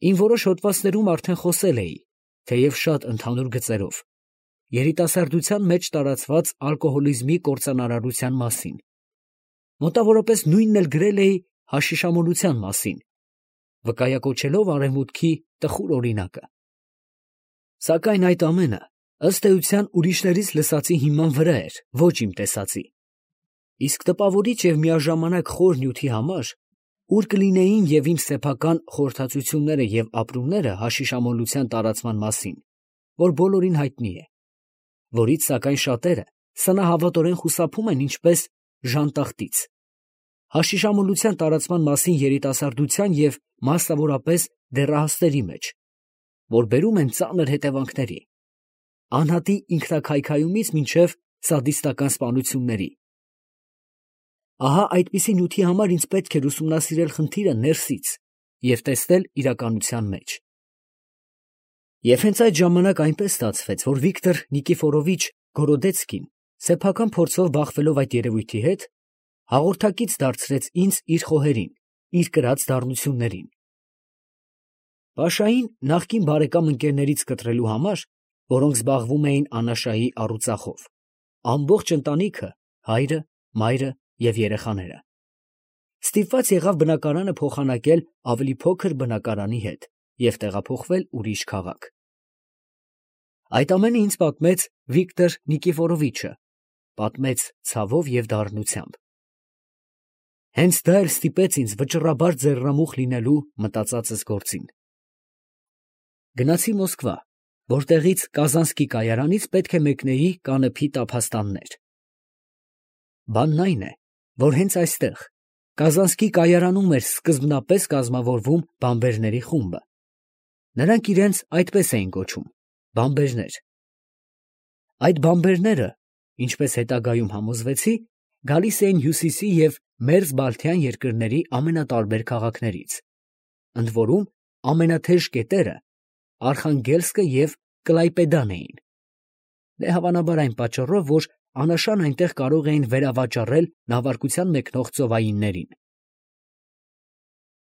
Իմ որոշ հոդվածներում արդեն խոսել էի, թեև շատ ընդհանուր գծերով, երիտասարդության մեջ տարածված ալկոհոլիզմի կործանարարության մասին։ Մոտավորապես նույնն էլ գրել էի հաշիշամոլության մասին, վկայակոչելով Արևմուտքի տխուր օրինակը։ Սակայն այդ ամենը, ըստ էության, ուրիշներից լսածի հիման վրա էր, ոչ իմ տեսածի։ Իսկ տպավորիչ և միաժամանակ խոր նյութի համար, ուր կլինեին և իմ սեփական խորհրդածությունները և ապրումները հաշիշամոլության տարածման մասին, որ բոլորին հայտնի է, որից սակայն շատերը սնահավատորեն խուսափում են ինչպես ժանտախտից, հաշիշամոլության տարածման մասին երիտասարդության և մասնավորապես դեռահասների մեջ, որ բերում են ծանր հետևանքների, անհատի ինքնաքայքայումից մինչև սադիստական սպանությունների։ Ահա այդպիսի նյութի համար ինձ պետք էր ուսումնասիրել խնդիրը ներսից և տեսնել իրականության մեջ։ Եվ հենց այդ ժամանակ այնպես ստացվեց, որ Վիկտոր Նիկիֆորովիչ Գորոդեցկին, սեփական փորձով բախվելով այդ երևույթի հետ, հաղորդակից դարձրեց ինձ իր խոհերին, իր կրած դառնություններին։ Պաշային նախկին բարեկամ ընկերներից կտրելու համար, որոնք զբաղվում էին անաշայի առուծախով, ամբողջ ընտանիքը, հայրը, մայրը և երեխաները, ստիպված եղավ բնակարանը փոխանակել ավելի փոքր բնակարանի հետ և տեղափոխվել ուրիշ քաղաք։ Այդ ամենը ինձ պատմեց Վիկտոր Նիկիֆորովիչը, պատմեց ցավով և դառնությամբ։ Հենց դա էլ ստիպեց ինձ վճռաբար ձեռնամուխ լինելու մտածածս գործին։ Գնացի Մոսկվա, որտեղից Կազանսկի կայարանից պետք է մեկնեի Կանեփի տափաստաններ։ Բանն այն է, որ հենց այստեղ, Կազանսկի կայարանում էր սկզբնապես կազմավորվում բամբերների խումբը։ Նրանք իրենց այդպես էին կոչում՝ բամբերներ։ Այդ բամբերները, ինչպես հետագայում համոզվեցի, գալիս էին Հյուսիսի և Մերձբալթյան երկրների ամենատարբեր քաղաքներից, ընդ որում ամենաթեժ կետերը Արխանգելսկը և Կլայպեդան էին։ Դե հավանաբար այն պատճառով, որ անաշան այնտեղ կարող էին վերավաճառել նավարկության մեկնող ծովայիններին։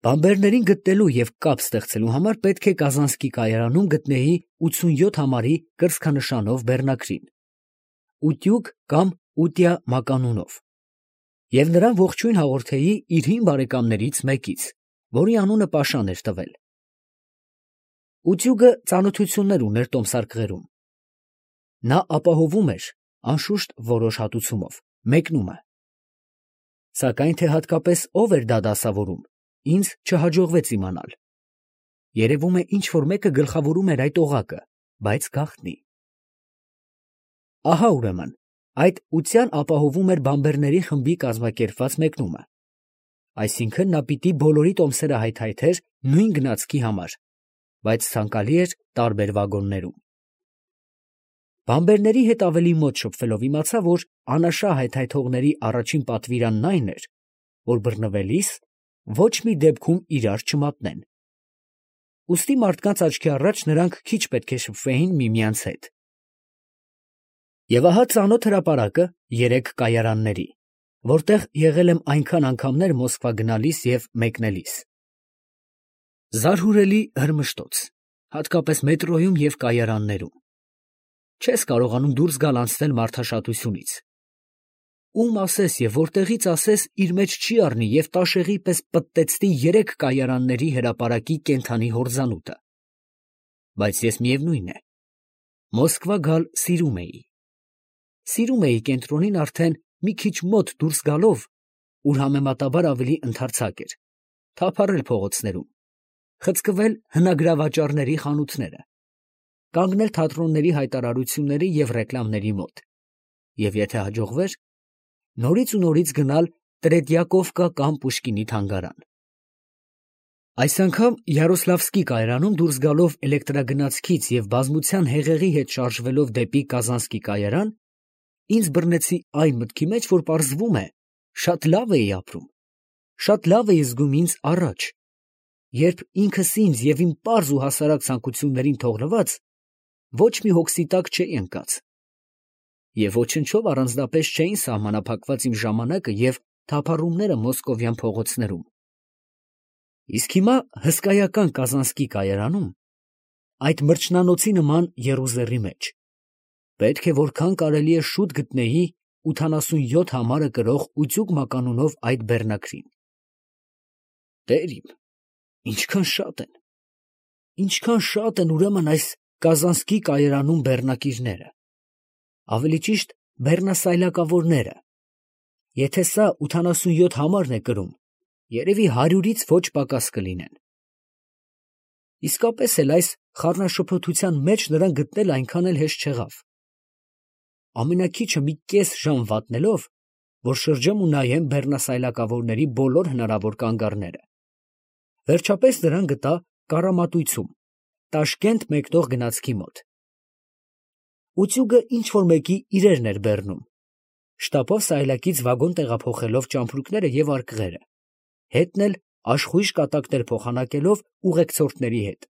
Բամբերներին գտնելու և կապ ստեղծելու համար պետք է Կազանսկի կայարանում գտնեի 87 համարի կրծքանշանով բեռնակրին, ուտյուկ կամ ուտյա մականունով, և նրան ողջույն հաղորդեի իր հին բարեկամներից մեկից, որի անունը Պաշան էր տվել։ Ուտյուգը ծանոթություններ ուներ տոմսարկղերում։ Նա ապահովում էր, անշուշտ որոշ հատուցումով, մեկնումը։ Սակայն թե հատկապես ով էր դա դասավորում, ինձ չհաջողվեց իմանալ։ Երևում է ինչ֊որ մեկը գլխավորում էր այդ օղակը, բայց գաղտնի։ Ահա ուրեմն, այդ ուտյան ապահովում էր բամբերների խմբի կազմակերպված մեկնումը, այսինքն նա պիտի բոլորի տոմսերը հայթայթեր նույն գնացքի համար, բայց ցանկալի էր տարբեր վագոններում։ Բամբերների հետ ավելի մոտ շփվելով իմացա, որ անաշա հայթայթողների առաջին պատվիրանն այն էր, որ բռնվելիս ոչ մի դեպքում իրար չմատնեն։ Ուստի մարդկանց աչքի առաջ նրանք քիչ պետք է շփվեին միմյանց հետ։ Եվ ահա ծանոթ հրապարակը երեք կայարանների, որտեղ եղել եմ այնքան անգամներ Մոսկվա գնալիս և մեկնելիս։ Զարհուրելի հրմշտոց, հատկապես մետրոյում և կայարաններում։ Չես կարողանում դուրս գալ անցնել մարդաշատությունից։ Ում ասես և որտեղից ասես իր մեջ չի առնի և տաշեղի պես պտտեցնի երեք կայարանների հրապարակի կենդանի հորձանուտը։ Բայց ես միևնույն է, Մոսկվա գալ սիրում էի։ Սիրում էի կենտրոնին արդեն մի քիչ մոտ դուրս գալով, ուր համեմատաբար ավելի ընդարձակ էր, թափառել փողոցներում, խցկվել հնագրավաճառների խանութները, կանգնել թատրոնների հայտարարությունների և ռեկլամների մոտ, և եթե հաջողվեր, նորից ու նորից գնալ Տրետյակովկա կամ Պուշկինի թանգարան։ Այս անգամ Յարոսլավսկի կայարանում դուրս գալով էլեկտրագնացքից և բազմության հեղեղի հետ շարժվելով դեպի Կազանսկի կայարան, ինձ բռնեցի այն մտքի մեջ, որ պարզվում է, շատ լավ էի ապրում, շատ լավ էի զգում ինձ առաջ, երբ ինքս ինձ և իմ պարզ ու հասարակ ցանկություններին թողնված, ոչ մի հոգսի տակ չէի ընկած, և ոչնչով առանձնապես չէին սահմանափակված իմ ժամանակը և թափառումները մոսկովյան փողոցներում։ Իսկ հիմա հսկայական Կազանսկի կայարանում, այդ մրջնանոցի նման եռուզեռի մեջ, պետք է որքան կարելի է շուտ գտնեի 87 համարը կրող Ուտյուկ մականունով այդ բեռնակրին։ Տեր իմ, ինչքան շատ են ուրեմն այս Կազանսկի կայարանում բեռնակիրները, ավելի ճիշտ բեռնասայլակավորները, եթե սա 87 համարն է կրում, երևի 100-ից ոչ պակաս կլինեն։ Իսկապես էլ այս խառնաշփոթության մեջ նրան գտնել այնքան էլ հեշտ չեղավ։ Ամենաքիչը մի կես ժամ վատնելով, որ շրջեմ ու նայեմ բեռնասայլակավորների բոլոր հնարավոր կանգառները, վերջապես նրան գտա Կարամատույցում, Տաշկենտ մեկնող գնացքի մոտ։ Ուտյուգը ինչ-որ մեկի իրերն էր բեռնում, շտապով սայլակից վագոն տեղափոխելով ճամպրուկները և արկղերը, հետն էլ աշխույժ կատակներ փոխանակելով ուղեկցորդների հետ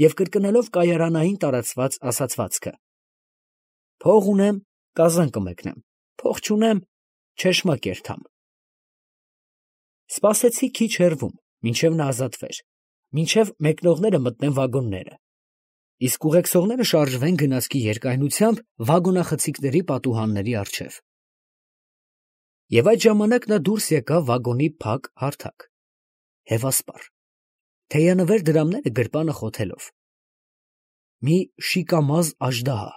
և կրկնելով կայարանային տարածված ասացվածքը. «Փող ունեմ, Կազան կմեկնեմ, փող չունեմ, չեշմա կերթամ»։ Սպասեցի քիչ հեռվում, մինչև նա ազատվեր, մինչև մեկնողները մտնեն վագոնները, իսկ ուղեկցողները շարժվեն գնացքի երկայնությամբ վագոնախցիկների պատուհանների առջև։ Եվ այդ ժամանակ նա դուրս եկավ վագոնի փակ հարթակ, հևասպառ, թեյանվեր դրամները գրպանը խոթելով, մի շիկամազ աժդահա,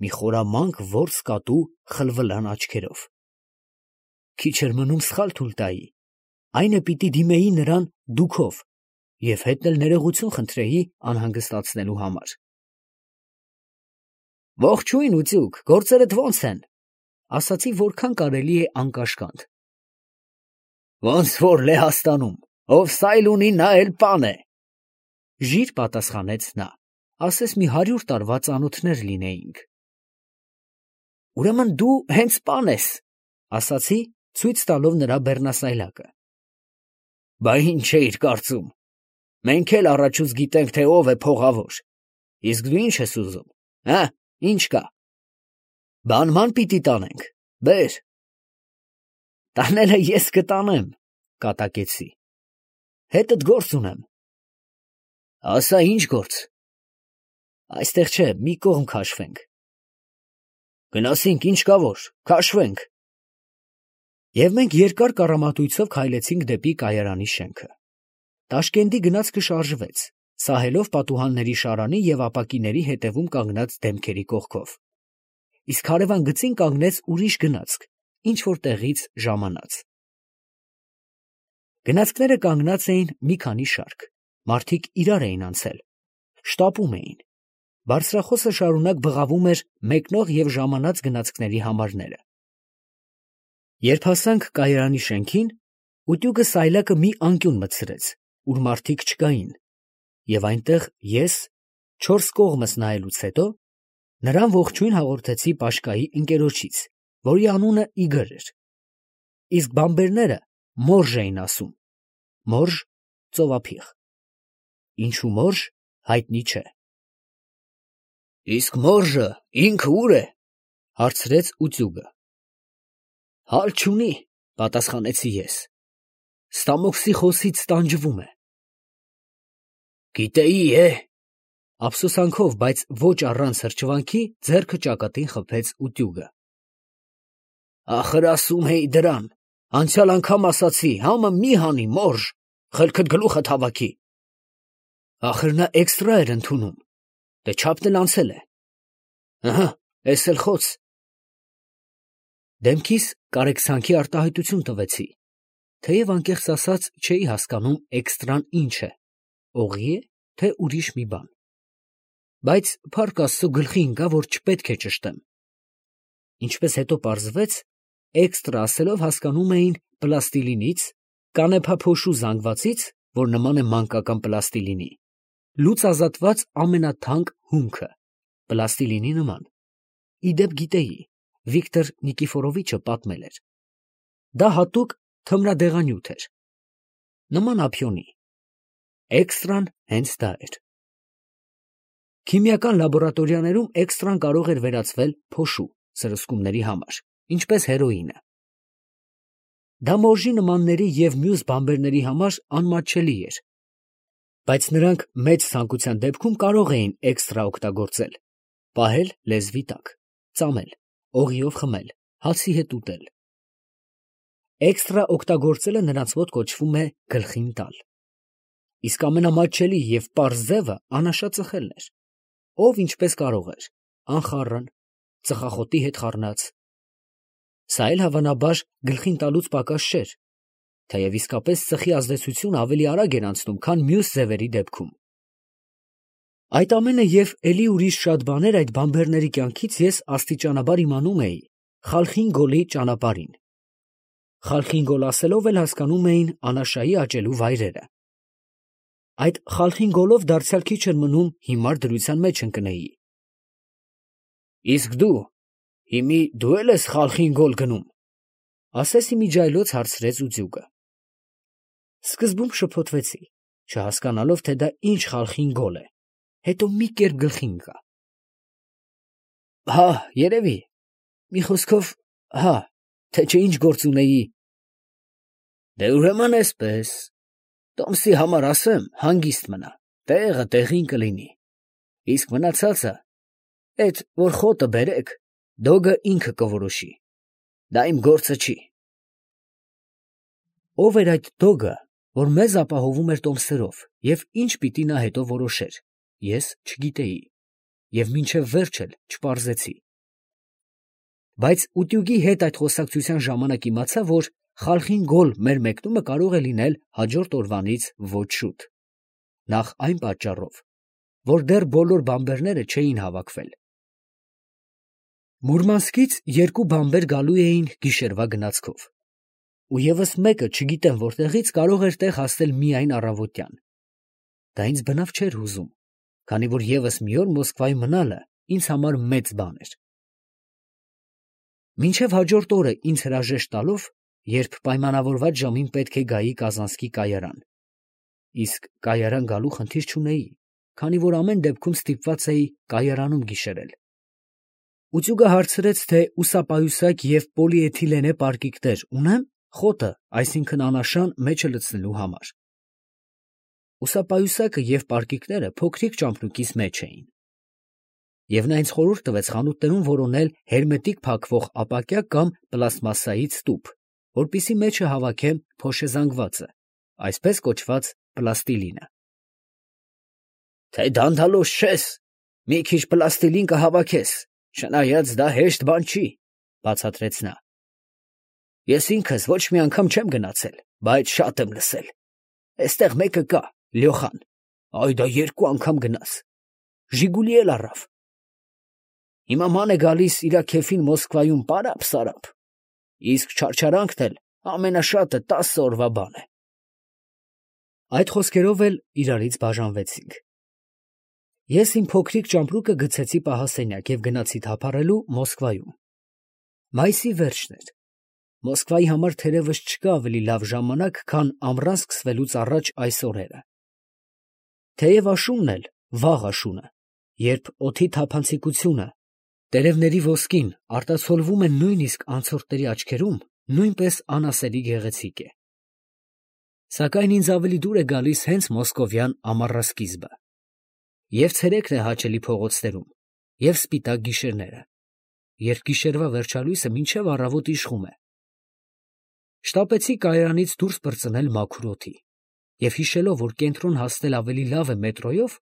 մի խորամանկ որս կատու խլվլան աչքերով։ Քիչ էր մնում սխալ թույլ տայի, այն է պիտի դիմեի նրան դուքով և հետն էլ ներողություն խնդրեի անհանգստացնելու համար։ «Ողջույն, Ուտյուկ, գործերդ ո՞նց են», ասացի որքան կարելի է անկաշկանդ։ «Ոնց որ Լեհաստանում, ով սայլ ունի, նա էլ պան է», ժիր պատասխանեց նա, ասես մի 100 տարվա ծանոթներ լինեինք։ «Ուրեմն դու հենց պան ես», ասացի, ցույց տալով նրա բեռնասայլակը։ «Բա ինչ էիր կարծում, մենք էլ առաջուց գիտենք, թե ով է փողավոր, իսկ դու ինչ ես ուզում, հը, ինչ կա։ Բանման պիտի տանենք, բեր»։ «Տանելը ես կտանեմ», կատակեցի, հետդ գործ ունեմ։ «Ասա, ինչ գործ»։ «Այստեղ չէ, մի կողմ քաշվենք»։ «Գնասինք, ինչ կա որ, քաշվենք»։ Եվ մենք երկար կառամատույցով քայլեցինք դեպի կայարանի շենքը։ Տաշկենտի գնացքը շարժվեց, սահելով պատուհանների շարանի և ապակիների հետևում կանգնած դեմքերի կողքով, իսկ հարևան գծին կանգնեց ուրիշ գնացք, ինչ-որ տեղից ժամանած։ Գնացքները կանգնած էին մի քանի շարք, մարդիկ իրար էին անցել, շտապում էին, բարձրախոսը շարունակ բղավում էր մեկնող և ժամանած գնացքների համարները։ Երբ հասանք կայարանի շենքին, Ուտյուգը սայլակը մի անկյուն մտցրեց, ուր մարդիկ չկային, և այնտեղ ես, 4 կողմս նայելուց հետո, նրան ողջույն հաղորդեցի Պաշկայի ընկերոջից, որի անունը Իգոր էր, իսկ բամբերները Մորժ էին ասում, Մորժ ծովափիղ, ինչու Մորժ հայտնի չէ։ «Իսկ Մորժը ինքը ուր է», հարցրեց Ուտյուգը։ «Հալ չունի», պատասխանեցի ես, «Ստամոքսի խոսից տանջվում է»։ «Գիտեի, ափսոսանքով, բայց ոչ առանց հրճվանքի ձեռքը ճակատին խփեց Ուտյուգը։ «Ախր ասում էի դրան, անցյալ անգամ ասացի, համը մի հանի, Մորժ, խելքդ գլուխդ հավաքի»։ «Ախր նա էքստրա էր ընդունում, դե չափն էլ անցել է»։ «Ըհը, էս էլ խոց»։ Դեմքիս կարեկցանքի արտահայտություն տվեցի, թեև անկեղծ ասած չէի հասկանում էքստրան ինչ է, օղի է, թե ուրիշ մի բան, բայց փառք Աստծո գլխի ընկավ, որ չպետք է ճշտեմ։ Ինչպես հետո պարզվեց, էքստրա ասելով հասկանում էին պլաստիլինից, կանեփափոշու զանգվածից, որ նման է մանկական պլաստիլինի, լուծ ազատված ամենաթանկ հումքը, պլաստիլինի նման։ Ի դեպ գիտեի, Վիկտոր Նիկիֆորովիչը պատմել էր։ Դա հատուկ թմրադեղանյութ էր, նման ափիոնի։ Էքստրան հենց դա էր։ Քիմիական լաբորատորիաներում էքստրան կարող էր վերածվել փոշու սրսկումների համար, ինչպես հերոինը։ Դա մորժի նմանների և մյուս բանբերների համար անմատչելի էր, բայց նրանք մեծ ցանկության դեպքում կարող էին էքստրա օգտագործել, պահել լեզվի տակ, ծամել, օղիով խմել, հացի հետ ուտել։ Էքստրա օգտագործելը նրանց մոտ կոչվում է գլխին տալ։ Իսկ ամենամատչելի և պարզ ձևը անաշածխելն էր, ով ինչպես կարող էր, անխառն, ծխախոտի հետ խառնած։ Սա էլ հավանաբար գլխին տալուց պակաս չէր, թեև իսկապես ծխի ազդեցությունը ավելի արագ էր անցնում, քան մյուս ձևերի դեպքում։ Այդ ամենը և էլի ուրիշ շատ բաներ այդ բանբերների կյանքից ես աստիճանաբար իմանում էի Խալխին Գոլի ճանապարհին։ Խալխին Գոլ ասելով էլ հասկանում էին Անաշայի աճելու վայրերը։ Այդ Խալխին Գոլով դարձյալ քիչ էր մնում հիմար դրության մեջ ընկնեի։ Իսկ հիմի դու էլ ես Խալխին Գոլ գնում, ասես իմիջիայլոց հարցրեց Ուձուկը։ Սկզբում շփոթվեցի, չհասկանալով, թե դա ինչ Խալխին Գոլ է, հետո մի կերպ գլխի ընկա։ Հա, երևի, մի խոսքով, հա, թե չէ ինչ գործ ունեի։ Դե ուրեմն էսպես, Տոմսի համար ասեմ, հանգիստ մնա, տեղը տեղին կլինի, իսկ մնացածը, էդ որ խոտը բերեք, Դոգը ինքը կորոշի, դա իմ գործը չի։ Ով էր այդ Դոգը, որ մեզ ապահովում էր տոմսերով, և ինչ պիտի նա հետո որոշեր, ես չգիտեի, և մինչև վերջ էլ չպարզեցի։ Բայց ուտյուգի հետ այդ խոսակցության ժամանակ իմացա, որ Խալխին Գոլ մեր մեկնումը կարող է լինել հաջորդ օրվանից ոչ շուտ, նախ այն պատճառով, որ դեռ բոլոր բանբերները չէին հավաքվել։ Մուրմանսկից երկու բանբեր գալու էին գիշերվա գնացքով, ու ևս մեկը չգիտեմ որտեղից կարող էր տեղ հասնել միայն առավոտյան։ Դա ինձ բնավ չէր հուզում, քանի որ ևս մի օր Մոսկվայում մնալը ինձ համար մեծ բան էր։ Մինչև հաջորդ օրը ինձ հրաժեշտ տալով, երբ պայմանավորված ժամին պետք է գայի Կազանսկի կայարան, իսկ կայարան գալու խնդիր չունեի, քանի որ ամեն դեպքում ստիպված էի կայարանում գիշերել։ Ուծուգը հարցրեց, թե ուսապայուսակ և պոլիէթիլենե պարկիկներ ունեմ խոտը, այսինքն անաշան մեջը լցնելու համար։ Ուսապայուսակը և պարկիկները փոքրիկ ճամպրուկիս մեջ էին։ Եվ նա ինձ խորհուրդ տվեց խանութներում որոնել հերմետիկ փակվող ապակյա կամ պլաստմասսայից տուփ, որպեսզի մեջը հավաքեմ փոշեզանգվածը, այսպես կոչված պլաստիլինը։ Թե դանդալոշ չես, մի քիչ պլաստիլին կհավաքես, չնայած դա հեշտ բան չի, բացատրեց նա։ Ես ինքս ոչ մի անգամ չեմ գնացել, բայց շատ եմ լսել։ Էստեղ մեկը կա, Լյոխան, այ դա 2 անգամ գնաց, Ժիգուլի էլ առավ։ Հիմա ման է գալիս իրա քեֆին Մոսկվայում պարապ-սարապ, իսկ չարչարանքն էլ ամենաշատը 10 օրվա բան է։ Այդ խոսքերով էլ իրարից բաժանվեցինք։ Ես իմ փոքրիկ ճամպրուկը գցեցի պահասենյակ և գնացի թափառելու Մոսկվայում։ Մայիսի վերջն էր։ Մոսկվայի համար թերևս չկա ավելի լավ ժամանակ, քան ամռան սկսվելուց առաջ այս օրերը։ Թեև աշունն էլ վաղ աշունը, երբ օդի թափանցիկությունը, տերևների ոսկին արտացոլվում է նույնիսկ անցորդների աչքերում, նույնպես անասելի գեղեցիկ է։ Սակայն ինձ ավելի դուր է գալիս հենց մոսկովյան ամառասկիզբը։ Եվ ցերեկն է հաճելի փողոցներում, և սպիտակ գիշերները, երբ գիշերվա վերջալույսը մինչև առավոտ իշխում է։ Շտապեցի կայարանից դուրս պրծնել մաքուր օդի, և հիշելով, որ կենտրոն հասնել ավելի լավ է մետրոյով,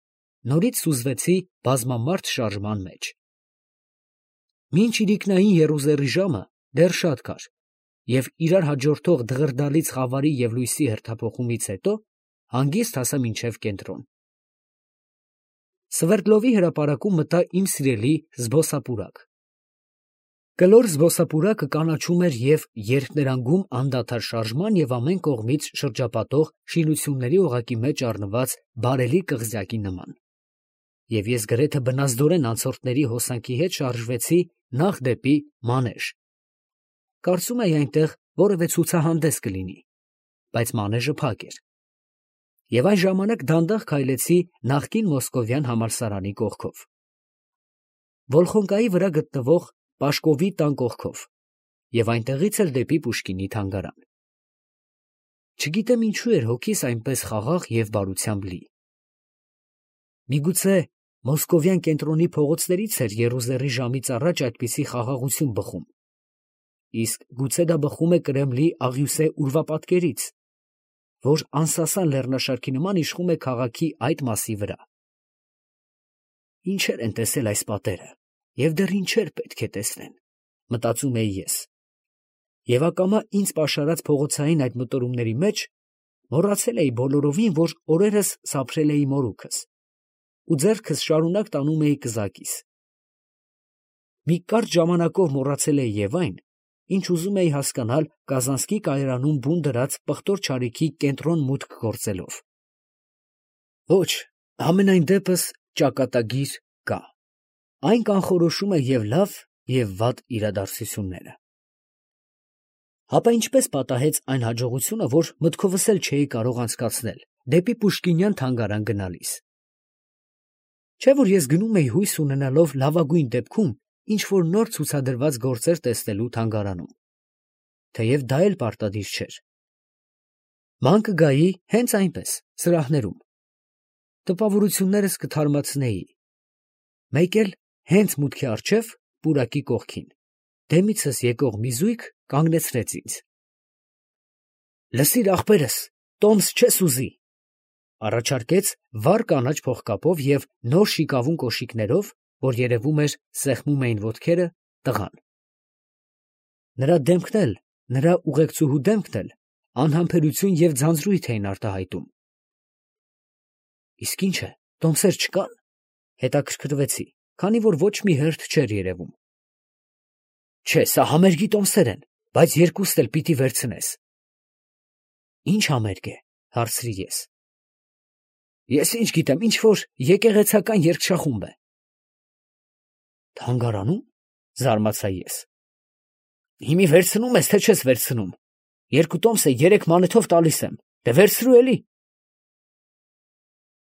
նորից սուզվեցի բազմամարդ շարժման մեջ։ Մինչ իրիկնային եռուզեռի ժամը դեռ շատ կար, և իրար հաջորդող դղրդալից խավարի և լույսի հերթափոխումից հետո հանգիստ հասա մինչև կենտրոն։ Սվերդլովի հրապարակում մտա իմ սիրելի զբոսապուրակ։ Կլոր զբոսապուրակը կանաչում էր և երկներանգում անդադար շարժման և ամեն կողմից շրջապատող շինությունների օղակի մեջ առնված բարելի կղզյակի նման։ Եվ ես գրեթե բնազդորեն անցորդների հոսանքի հետ շարժվեցի նախ դեպի մանեժ։ Կարծում էի այնտեղ որևէ ցուցահանդես կլինի, բայց մանեժը փակ էր։ Եվ այն ժամանակ դանդաղ քայլեցի նախկին մոսկովյան համալսարանի կողքով, Վոլխոնկայի վրա գտնվող Պաշկովի տան կողքով, և այնտեղից էլ դեպի Պուշկինի թանգարան։ Չգիտեմ ինչու էր հոգիս այնպես խաղաղ և բարությամբ լի։ Միգուցե Մոսկովյան կենտրոնի փողոցներից էր եռուզեռի ժամից առաջ այդպիսի խաղաղություն բխում, իսկ գուցե դա բխում է Կրեմլի աղյուսե ուրվապատկերից, որ անսասան լեռնաշարքի նման իշխում է քաղաքի այդ մասի վրա։ Ինչեր են տեսել այս պատերը, և դեռ ինչեր պետք է տեսնեն, մտածում էի ես, և ակամա ինձ պաշարած փողոցային այդ մտորումների մեջ մոռացել էի բոլորովին, որ օրերս սափրել էի մորուքս ու ձեռքս շարունակ տանում էի կզակիս։ Մի կարճ ժամանակով մոռացել էի և այն, ինչ ուզում էի հասկանալ Կազանսկի կայարանում բուն դրած պղտոր չարիքի կենտրոն մուտք գործելով։ Ոչ, համենայն դեպս ճակատագիր կա։ Այն կանխորոշում է և լավ, և վատ իրադարձությունները։ Հապա ինչպես պատահեց այն հաջողությունը, որ մտքովս էլ չէի կարող անցկացնել դեպի Պուշկինյան թանգարան գնալիս։ Չէ՞ որ ես գնում էի հույս ունենալով լավագույն դեպքում ինչ-որ նոր ցուցադրված գործեր տեսնելու թանգարանում, թեև դա էլ պարտադիր չէր։ Ման կգայի հենց այնպես, սրահներում։ Տպավորություններս կթարմացնեի։ Մեկ էլ հենց մուտքի առջև, պուրակի կողքին, դեմիցս եկող մի զույգ կանգնեցրեց ինձ։ «Լսիր, ախպերս, տոմս չես ուզի», առաջարկեց վառ կանաչ փողկապով և նոր շիկավուն կոշիկներով, որ երևում էր սեղմում էին ոտքերը, տղան։ Նրա դեմքն էլ, նրա ուղեկցուհու դեմքն էլ անհամբերություն և ձանձրույթ էին արտահայտում։ Իսկ ի՞նչ է, տոմսեր չկան, հետաքրքրվեցի, քանի որ ոչ մի հերթ չէր երևում։ Չէ, սա համերգի տոմսեր են, բայց երկուստ էլ պիտի վերցնես։ Ի՞նչ համերգ է, հարցրի ես։ Ես ինչ գիտեմ, ինչ-որ եկեղեցական երգչախումբ է։ Թանգարանում, զարմացա ես։ Հիմի վերցնում ես, թե չես վերցնում։ Երկու տոմսը 3 մանեթով տալիս եմ, դե վերցրու էլի։